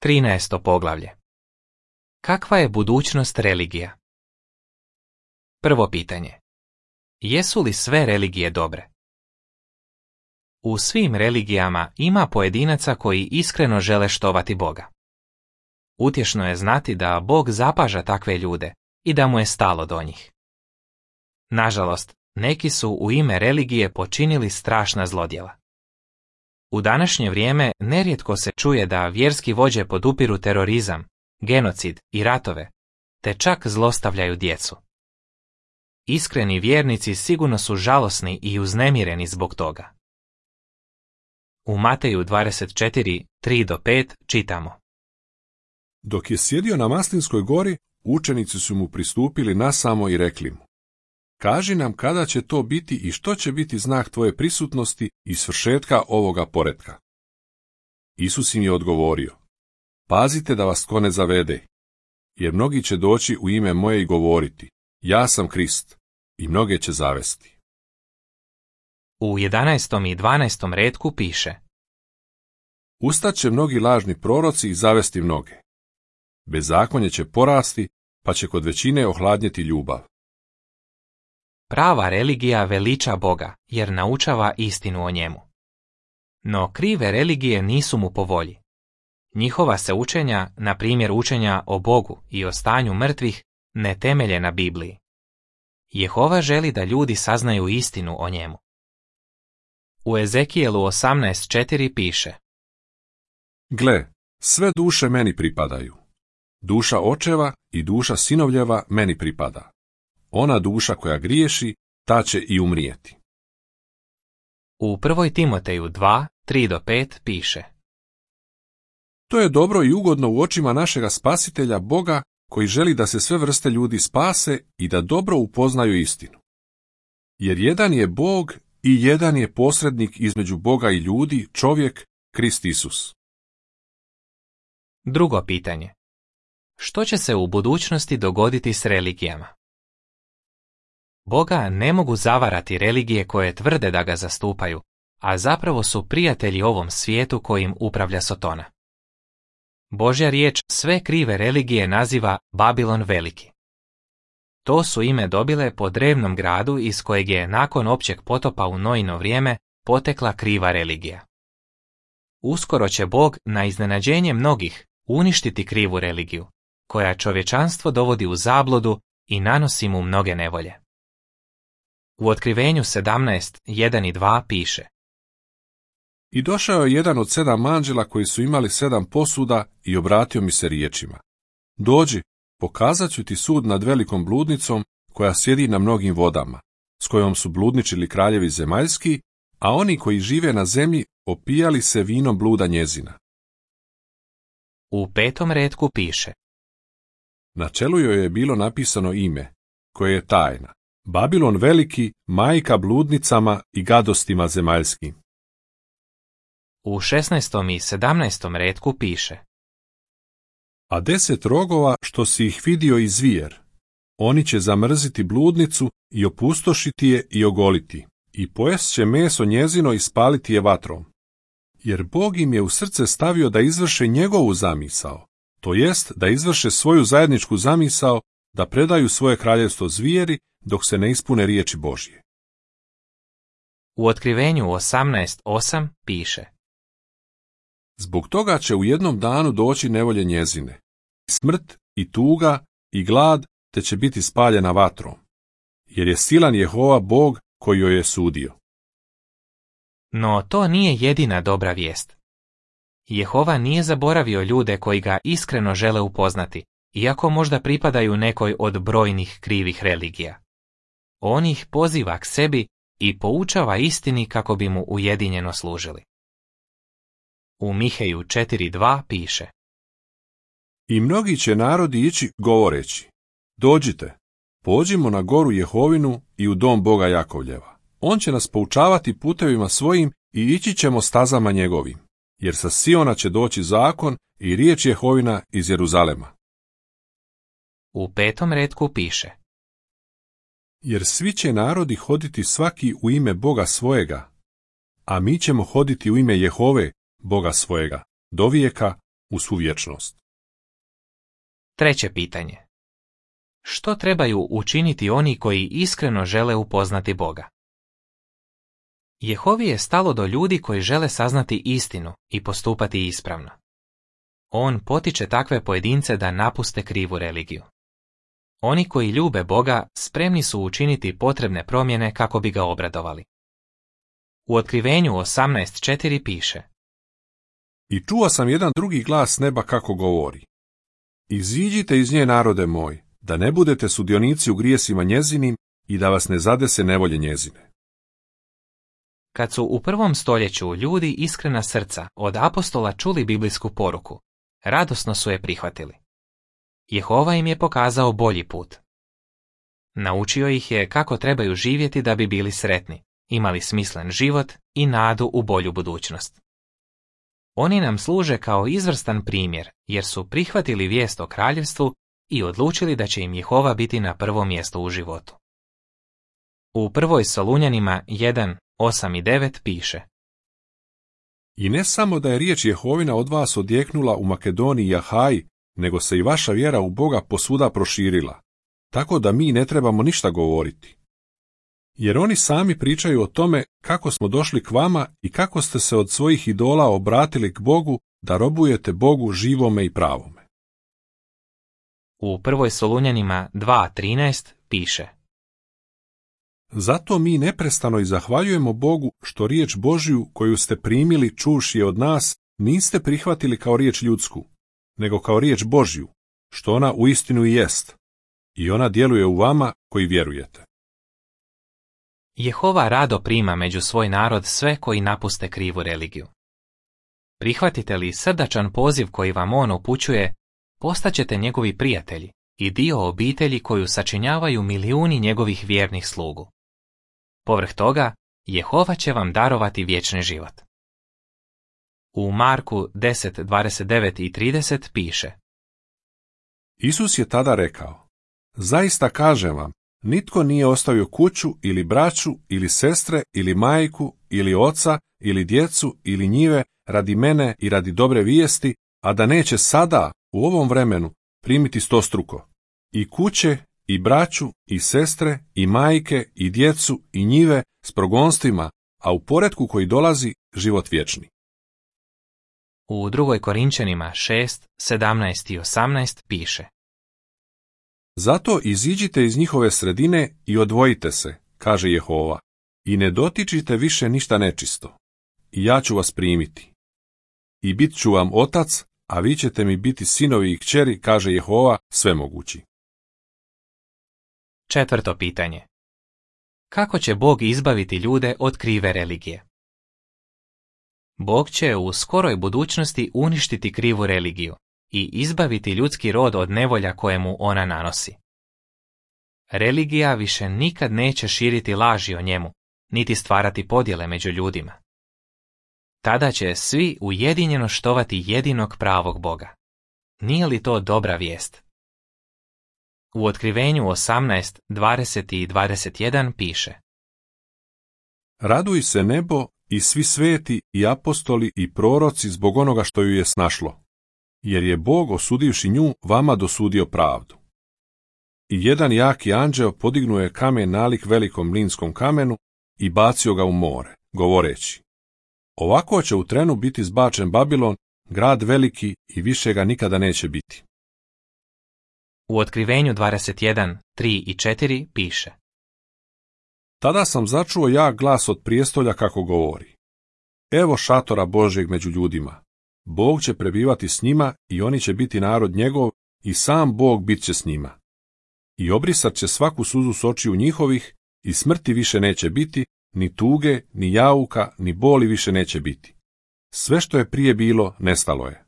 13. poglavlje. Kakva je budućnost religija? Prvo pitanje. Jesu li sve religije dobre? U svim religijama ima pojedinaca koji iskreno žele štovati Boga. Utješno je znati da Bog zapaža takve ljude i da mu je stalo do njih. Nažalost, neki su u ime religije počinili strašna zlodjela. U današnje vrijeme nerijetko se čuje da vjerski vođe podupiru terorizam, genocid i ratove, te čak zlostavljaju djecu. Iskreni vjernici sigurno su žalosni i uznemireni zbog toga. U Mateju 24, 3-5 čitamo. Dok je sjedio na Maslinskoj gori, učenici su mu pristupili nasamo i rekli mu: Kaži nam kada će to biti i što će biti znak tvoje prisutnosti i svršetka ovoga poretka. Isus im je odgovorio: Pazite da vas tko ne zavede, jer mnogi će doći u ime moje i govoriti: Ja sam Krist, i mnoge će zavesti. U 11. i 12. retku piše: Ustaće mnogi lažni proroci i zavesti mnoge. Bezakonje će porasti, pa će kod većine ohladnjeti ljubav. Prava religija veliča Boga, jer naučava istinu o njemu. No krive religije nisu mu po volji. Njihova se učenja, na primjer učenja o Bogu i o stanju mrtvih, ne temelje na Bibliji. Jehova želi da ljudi saznaju istinu o njemu. U Ezekijelu 18.4 piše: Gle, sve duše meni pripadaju. Duša očeva i duša sinovljeva meni pripada. Ona duša koja griješi, ta će i umrijeti. U 1. Timoteju 2, 3-5 piše: To je dobro i ugodno u očima našega Spasitelja Boga, koji želi da se sve vrste ljudi spase i da dobro upoznaju istinu. Jer jedan je Bog i jedan je posrednik između Boga i ljudi, čovjek, Krist Isus. Drugo pitanje. Što će se u budućnosti dogoditi s religijama? Boga ne mogu zavarati religije koje tvrde da ga zastupaju, a zapravo su prijatelji ovom svijetu kojim upravlja Sotona. Božja riječ sve krive religije naziva Babilon Veliki. To su ime dobile po drevnom gradu iz kojeg je nakon općeg potopa u Noino vrijeme potekla kriva religija. Uskoro će Bog na iznenađenje mnogih uništiti krivu religiju, koja čovječanstvo dovodi u zabludu i nanosi mu mnoge nevolje. U Otkrivenju 17, 1 i 2 piše: I došao je jedan od 7 anđela koji su imali 7 posuda i obratio mi se riječima: Dođi, pokazat ću ti sud nad velikom bludnicom koja sjedi na mnogim vodama, s kojom su bludničili kraljevi zemaljski, a oni koji žive na zemlji opijali se vinom bluda njezina. U 5. retku piše: Na čelu joj je bilo napisano ime, koje je tajna: Babilon veliki, majka bludnicama i gadostima zemaljskim. U 16. i 17. retku piše: A 10 rogova što si ih vidio i zvijer, oni će zamrziti bludnicu i opustošiti je i ogoliti, i pojest će meso njezino i spaliti je vatrom. Jer Bog im je u srce stavio da izvrše njegovu zamisao, to jest da izvrše svoju zajedničku zamisao, da predaju svoje kraljevstvo zvijeri, dok se ne ispune riječi Božje. U Otkrivenju 18.8 piše: Zbog toga će u jednom danu doći nevolje njezine, i smrt, i tuga, i glad, te će biti spaljena vatrom, jer je silan Jehova Bog koji joj je sudio. No to nije jedina dobra vijest. Jehova nije zaboravio ljude koji ga iskreno žele upoznati, iako možda pripadaju nekoj od brojnih krivih religija. On ih poziva k sebi i poučava istini kako bi mu ujedinjeno služili. U Miheju 4.2 piše: I mnogi će narodi ići govoreći: Dođite, pođimo na goru Jehovinu i u dom Boga Jakovljeva. On će nas poučavati putevima svojim i ići ćemo stazama njegovim, jer sa Siona će doći zakon i riječ Jehovina iz Jeruzalema. U 5. retku piše: Jer svi će narodi hoditi svaki u ime Boga svojega, a mi ćemo hoditi u ime Jehove, Boga svojega, do vijeka. u svu vječnost. Treće pitanje. Što trebaju učiniti oni koji iskreno žele upoznati Boga? Jehovi je stalo do ljudi koji žele saznati istinu i postupati ispravno. On potiče takve pojedince da napuste krivu religiju. Oni koji ljube Boga spremni su učiniti potrebne promjene kako bi ga obradovali. U Otkrivenju 18.4 piše: I čuo sam jedan drugi glas s neba kako govori: Iziđite iz nje, narode moj, da ne budete sudionici u grijesima njezinim i da vas ne zadese nevolje njezine. Kad su u 1. stoljeću ljudi iskrena srca od apostola čuli biblijsku poruku, radosno su je prihvatili. Jehova im je pokazao bolji put. Naučio ih je kako trebaju živjeti da bi bili sretni, imali smislen život i nadu u bolju budućnost. Oni nam služe kao izvrstan primjer jer su prihvatili vijest o kraljevstvu i odlučili da će im Jehova biti na prvo mjesto u životu. U 1. Solunjanima 1, 8 i 9 piše: I ne samo da je riječ Jehovina od vas odjeknula u Makedoniji i Ahaji, nego se i vaša vjera u Boga posvuda proširila, tako da mi ne trebamo ništa govoriti. Jer oni sami pričaju o tome kako smo došli k vama i kako ste se od svojih idola obratili k Bogu da robujete Bogu živome i pravome. U 1. Solunjanima 2.13 piše: Zato mi neprestano i zahvaljujemo Bogu što riječ Božju koju ste primili čuvši je od nas niste prihvatili kao riječ ljudsku, nego kao riječ Božju, što ona uistinu i jest, i ona djeluje u vama koji vjerujete. Jehova rado prima među svoj narod sve koji napuste krivu religiju. Prihvatite li srdačan poziv koji vam on upućuje, postaćete njegovi prijatelji i dio obitelji koju sačinjavaju milijuni njegovih vjernih slugu. Povrh toga, Jehova će vam darovati vječni život. U Marku 10.29 i 30 piše: Isus je tada rekao: Zaista kažem vam, nitko nije ostavio kuću ili braću ili sestre ili majku ili oca ili djecu ili njive radi mene i radi dobre vijesti, a da neće sada, u ovom vremenu, primiti 100-struko. I kuće, i braću, i sestre, i majke, i djecu, i njive s progonstvima, a u poretku koji dolazi život vječni. U 2. Korinčanima 6, 17 i 18 piše: Zato iziđite iz njihove sredine i odvojite se, kaže Jehova, i ne dotičite više ništa nečisto. I ja ću vas primiti. I bit ću vam otac, a vi ćete mi biti sinovi i kćeri, kaže Jehova svemogući. Četvrto pitanje. Kako će Bog izbaviti ljude od krive religije? Bog će u skoroj budućnosti uništiti krivu religiju i izbaviti ljudski rod od nevolja koje mu ona nanosi. Religija više nikad neće širiti laži o njemu, niti stvarati podjele među ljudima. Tada će svi ujedinjeno štovati jedinog pravog Boga. Nije li to dobra vijest? U Otkrivenju 18, 20 i 21 piše: Raduj se nebo i svi sveti i apostoli i proroci zbog onoga što ju je snašlo, jer je Bog, osudivši nju, vama dosudio pravdu. I jedan jaki anđeo podignuo je kamen nalik velikom mlinskom kamenu i bacio ga u more, govoreći: Ovako će u trenu biti zbačen Babilon, grad veliki, i više ga nikada neće biti. U Otkrivenju 21, 3 i 4 piše: Tada sam začuo jak glas od prijestolja kako govori: Evo šatora Božjeg među ljudima. Bog će prebivati s njima i oni će biti narod njegov i sam Bog bit će s njima. I obrisat će svaku suzu s očiju njihovih i smrti više neće biti, ni tuge, ni jauka, ni boli više neće biti. Sve što je prije bilo, nestalo je.